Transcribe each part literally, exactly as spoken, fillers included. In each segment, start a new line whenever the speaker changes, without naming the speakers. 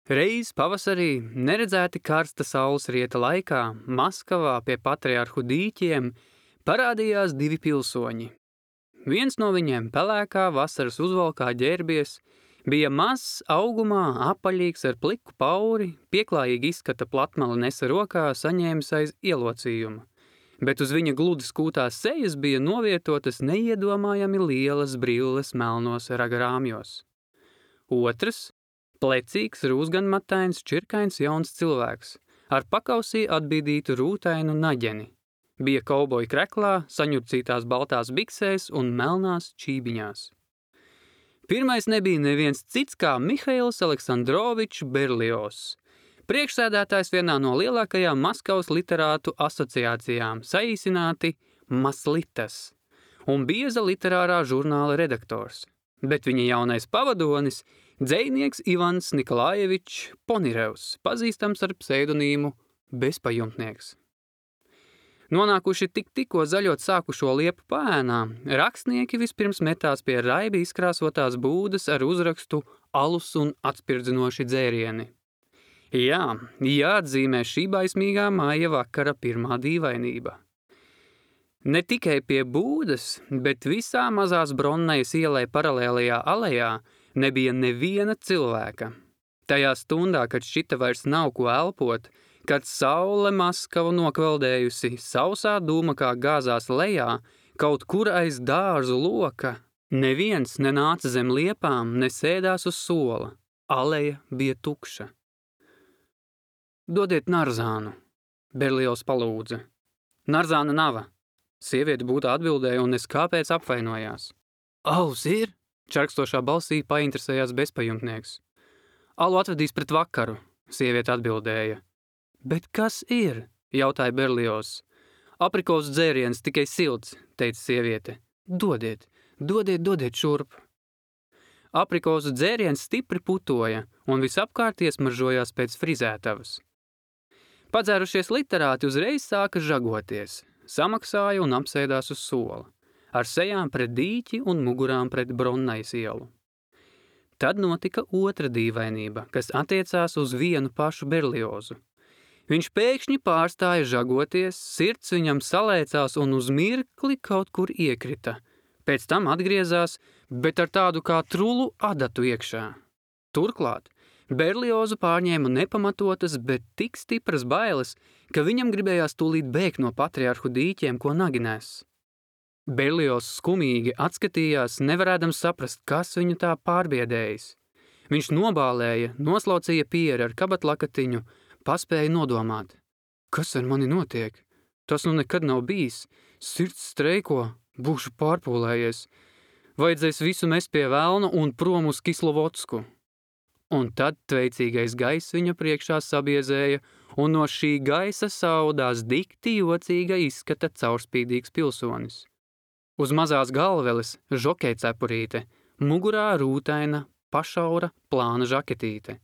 Reiz pavasarī, neredzēti karsta saules rieta laikā, Maskavā pie patriarhu dīķiem parādījās divi pilsoņi. Viens no viņiem pelēkā vasaras uzvalkā ģērbies, bija mazs augumā, apaļīgs ar pliku pauri, pieklājīgi izskata platmali nesa rokā, saņēmis aiz ielocījuma, bet uz viņa gludi skūtās sejas bija novietotas neiedomājami lielas brilles melnos ragarāmjos. Otrs, plecīgs, rūsganmatains, čirkains jauns cilvēks, ar pakausī atbīdītu rūtainu naģeni. Bija kauboja kreklā, saņurcītās baltās biksēs un melnās čībiņās. Pirmais nebija neviens cits kā Mihails Aleksandrovičs Berliozs, priekšsēdētājs vienā no lielākajām Maskavas literātu asociācijām, saīsināti Maslitas, un bieza literārā žurnāla redaktors, bet viņa jaunais pavadonis – dzejnieks Ivans Nikolājevičs Ponirevs, pazīstams ar pseidonīmu Bezpajumtnieks. Nonākuši tik tikko zaļot sākušo liepu pēnā, rakstnieki vispirms metās pie raibi izkrāsotās būdas ar uzrakstu alus un atspirdzinoši dzērieni. Jā, jāatzīmē šī baismīgā māja vakara pirmā dīvainība. Ne tikai pie būdas, bet visā mazās Bronnejas ielai paralēlajā alejā nebija neviena cilvēka. Tajā stundā, kad šķita vairs nav ko elpot, kad saule Maskavu nokveldējusi, sausā dūma kā gāzās lejā, kaut kur aiz dārzu loka, neviens nenāca zem liepām, nesēdās uz sola. Aleja bija tukša. Dodiet narzānu, Berliozs palūdza. Narzāna nava. Sieviete būtu atbildēja un es kāpēc apvainojās. Alus ir? Čarkstošā balsī painteresējās bezpajumtnieks. Alu atvedīs pret vakaru, sieviete atbildēja. Bet kas ir? Jautāja Berliozs. Aprikosu dzēriens tikai silts, teica sieviete. Dodiet, dodiet, dodiet šurp. Aprikosu dzēriens stipri putoja un visapkārt iesmaržojās pēc frizētavas. Padzērušies literāti uzreiz sāka žagoties, samaksāja un apsēdās uz sola, ar sejām pret dīķi un mugurām pret Bronnejas ielu. Tad notika otra dīvainība, kas attiecās uz vienu pašu Berliozu. Viņš pēkšņi pārstāja žagoties, sirds viņam salēcās un uz mirkli kaut kur iekrita. Pēc tam atgriezās, bet ar tādu kā trulu adatu iekšā. Turklāt Berliozu pārņēma nepamatotas, bet tik stipras bailes, ka viņam gribējās tūlīt bēgt no patriarhu dīķiem, ko naginēs. Berliozs skumīgi atskatījās, nevarēdams saprast, kas viņu tā pārbiedējis. Viņš nobālēja, noslaucīja pieri ar kabatlakatiņu, paspēja nodomāt. Kas ar mani notiek? Tas nu nekad nav bijis. Sirds streiko, būšu pārpūlējies. Vajadzēs visu mest pie velna un prom uz Kislovodsku. Un tad tveicīgais gaiss viņa priekšā sabiezēja, un no šī gaisa saudās dikti jocīga izskata caurspīdīgs pilsonis. Uz mazās galveles žokei cepurīte, mugurā rūtaina, pašaura, plāna žaketīte.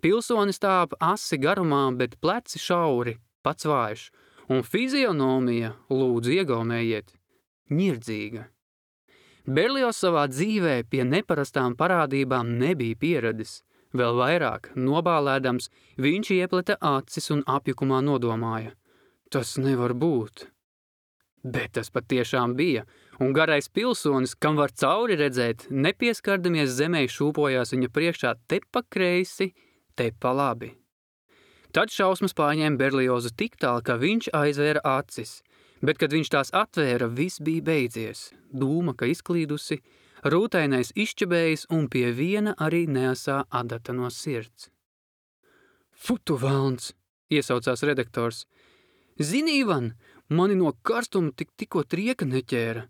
Pilsonis tāp asi garumā, bet pleci šauri, pats vājš, un fizionomija, lūdzu iegaumējiet, ņirdzīga. Berliozs savā dzīvē pie neparastām parādībām nebija pieradis. Vēl vairāk, nobālēdams, viņš iepleta acis un apjukumā nodomāja. Tas nevar būt. Bet tas patiešām bija, un garais pilsonis, kam var cauri redzēt, nepieskardamies zemē šūpojās viņa priekšā te pa kreisi, te pa labi. Tad šausmas pārņēma Berliozu tik tālu, ka viņš aizvēra acis, bet, kad viņš tās atvēra, viss bija beidzies, dūma, ka izklīdusi, rūtainais izčabējis un pie viena arī neasā adata no sirds. Futu velns, iesaucās redaktors. Zini, Ivan, mani no karstuma tik tikko trieka neķēra.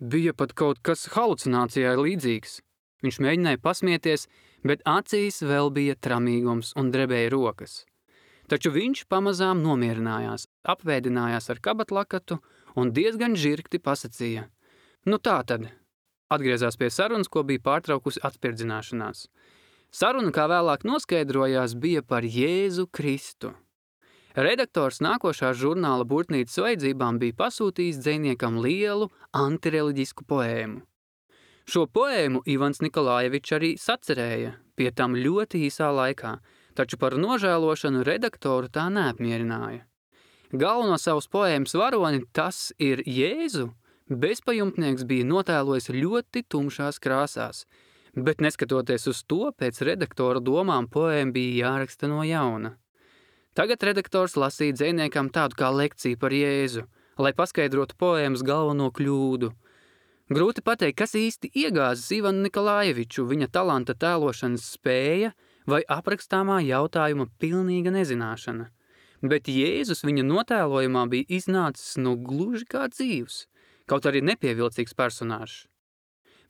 Bija pat kaut kas halucinācijai līdzīgs. Viņš mēģināja pasmieties, bet acīs vēl bija tramīgums un drebēja rokas. Taču viņš pamazām nomierinājās, apvēdinājās ar kabatlakatu un diezgan žirgti pasacīja. Nu tā tad. Atgriezās pie sarunas, ko bija pārtraukusi atspirdzināšanās. Saruna, kā vēlāk noskaidrojās, bija par Jēzu Kristu. Redaktors nākošā žurnāla burtnīcas vajadzībām bija pasūtījis dzejniekam lielu antireliģisku poēmu. Šo poēmu Ivans Nikolājevičs arī sacerēja, pie tam ļoti īsā laikā, taču par nožēlošanu redaktoru tā neapmierināja. Galveno savas poēmas varoni, tas ir Jēzu, bezpajumtnieks bija notēlojis ļoti tumšās krāsās, bet neskatoties uz to, pēc redaktora domām poēma bija jāraksta no jauna. Tagad redaktors lasīja dzejniekam tādu kā lekciju par Jēzu, lai paskaidrotu poēmas galveno kļūdu. Grūti pateikt, kas īsti iegāzis Ivanu Nikolājeviču, viņa talanta tēlošanas spēja vai aprakstāmā jautājuma pilnīga nezināšana. Bet Jēzus viņa notēlojumā bija iznācis no gluži kā dzīvs, kaut arī nepievilcīgs personāžs.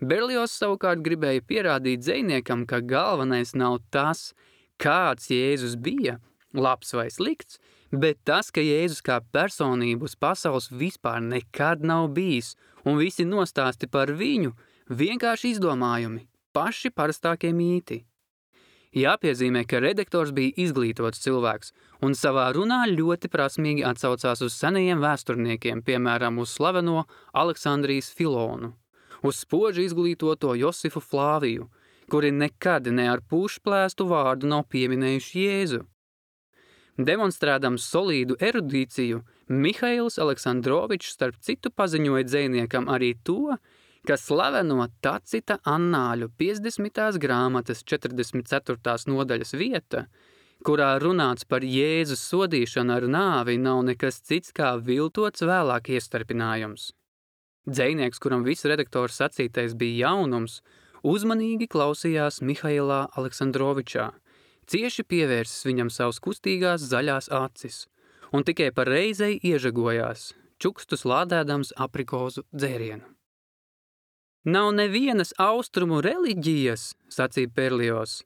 Berliozs savukārt gribēja pierādīt dzejniekam, ka galvenais nav tas, kāds Jēzus bija, labs vai slikts, bet tas, ka Jēzus kā personība uz pasaules vispār nekad nav bijis, un visi nostāsti par viņu vienkārši izdomājumi, paši parastākie mīti. Jāpiezīmē, ka redaktors bija izglītots cilvēks, un savā runā ļoti prasmīgi atsaucās uz senajiem vēsturniekiem, piemēram, uz slaveno Aleksandrijas Filonu, uz spoži izglītoto Josifu Flāviju, kuri nekad ne ar pušplēstu vārdu nav pieminējuši Jēzu. Demonstrēdams solīdu erudīciju, Mihails Aleksandrovičs starp citu paziņoja dzejniekam arī to, ka slaveno Tacita annāļu piecdesmitās grāmatas četrdesmit ceturtās nodaļas vieta, kurā runāts par Jēzus sodīšanu ar nāvi, nav nekas cits kā viltots vēlāk iestarpinājums. Dzejnieks, kuram viss redaktors sacītais bija jaunums, uzmanīgi klausījās Mihailā Aleksandrovičā, cieši pievērsis viņam savus kustīgās zaļās acis, un tikai par reizei iežagojās, čukstus lādēdams aprikozu dzērienu. Nav nevienas austrumu reliģijas, sacīja Berliozs,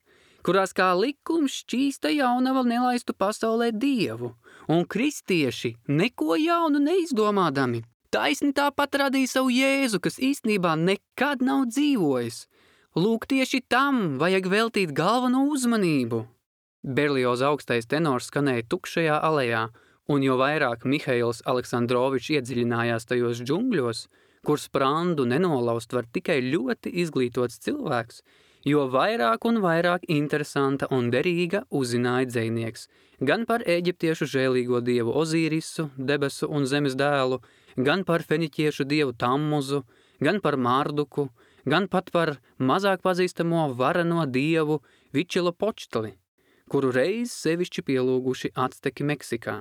kurās kā likums šķīsta jaunava nelaistu pasaulē dievu, un kristieši neko jaunu neizdomādami. Taisni tāpat radīja savu Jēzu, kas īstenībā nekad nav dzīvojis. Lūk, tieši tam vajag veltīt galveno uzmanību. Berlioza augstais tenors skanēja tukšajā alejā, un jo vairāk Mihails Aleksandrovičs iedziļinājās tajos džungļos, kur sprandu nenolaust var tikai ļoti izglītots cilvēks, jo vairāk un vairāk interesanta un derīga uzzināja dzejnieks gan par eģiptiešu žēlīgo dievu Ozīrisu, debesu un zemes dēlu, gan par feniķiešu dievu Tammuzu, gan par Marduku, gan pat par mazāk pazīstamo vareno dievu Vičilopočtli, kuru reiz sevišķi pielūguši Acteki Meksikā.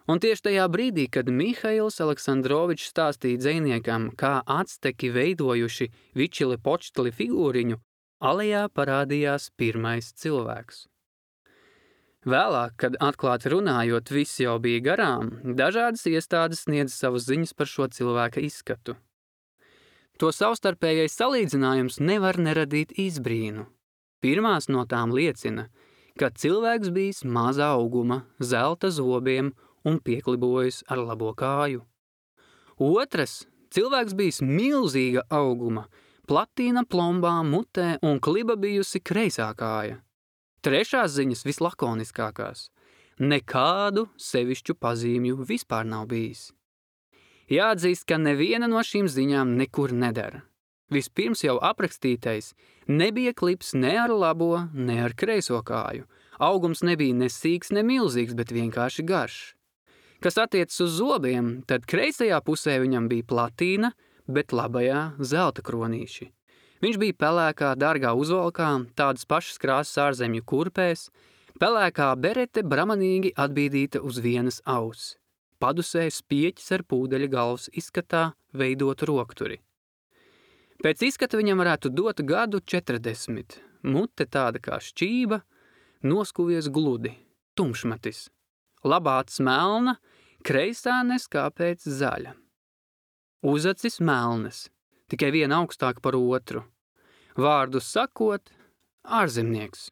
Un tieši tajā brīdī, kad Mihails Aleksandrovičs stāstīja dzejniekam, kā Acteki veidojuši Vičilopočtli figūriņu, alejā parādījās pirmais cilvēks. Vēlāk, kad atklāti runājot viss jau bija garām, dažādas iestādes sniedz savas ziņas par šo cilvēka izskatu. To savstarpējais salīdzinājums nevar neradīt izbrīnu. Pirmās no tām liecina, ka cilvēks bijis mazā auguma, zelta zobiem un pieklibojis ar labo kāju. Otras, cilvēks bijis milzīga auguma, platīna plombā mutē un kliba bijusi kreisā kāja. Trešās ziņas vislakoniskākās. Nekādu sevišķu pazīmju vispār nav bijis. Jāatzīst, ka neviena no šīm ziņām nekur nedara. Vispirms jau aprakstītais nebija klips ne ar labo, ne ar kreiso kāju. Augums nebija ne sīks, ne milzīgs, bet vienkārši garš. Kas attiecas uz zobiem, tad kreisajā pusē viņam bija platīna, bet labajā zelta kronīši. Viņš bija pelēkā, dārgā uzvalkā, tādas pašas krāsas ārzemju kurpēs, pelēkā berete bramanīgi atbīdīta uz vienas auss. Padusē spieķis ar pūdeļa galvas izskatā veidot rokturi. Pēc izskata viņam varētu dot gadu četrdesmit, mute tāda kā šķība, noskuvies gludi, tumšmatis. Labāts melna, kreisā neskāpēc zaļa. Uzacis melnas, tikai viena augstāk par otru. Vārdu sakot, ārzemnieks.